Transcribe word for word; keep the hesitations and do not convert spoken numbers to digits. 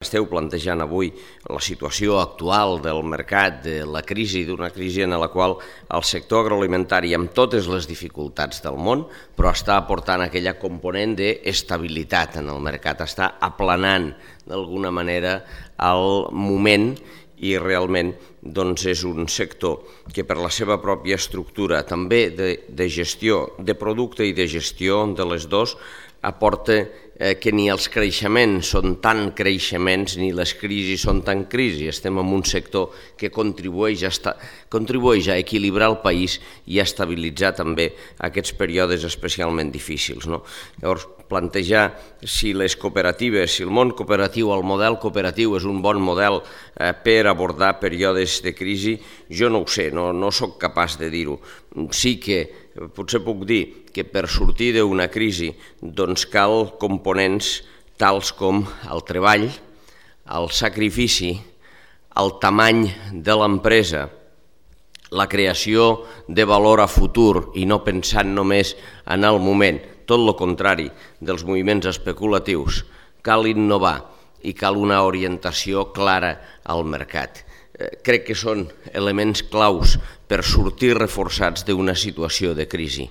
Esteu plantejant avui la situació actual del mercat, de la crisi, d'una crisi en la qual el sector agroalimentari, amb totes les dificultats del món, però està aportant aquella component d'estabilitat en el mercat, està aplanant d'alguna manera el moment i realment doncs, és un sector que per la seva pròpia estructura, també de, de gestió de producte i de gestió de les dos, aporta eh, que ni els creixements són tan creixements ni les crisis són tan crisis. Estem en un sector que contribueix a, esta, contribueix a equilibrar el país i a estabilitzar també aquests períodes especialment difícils. No? Llavors, plantejar si les cooperatives, si el món cooperatiu, el model cooperatiu és un bon model eh, per abordar períodes de crisi, jo no ho sé, no, no sóc capaç de dir-ho. Sí que potser puc dir que per sortir d'una crisi doncs cal components tals com el treball, el sacrifici, el tamany de l'empresa, la creació de valor a futur i no pensant només en el moment, tot el contrari dels moviments especulatius. Cal innovar i cal una orientació clara al mercat. Crec que són elements claus per sortir reforçats d'una situació de crisi.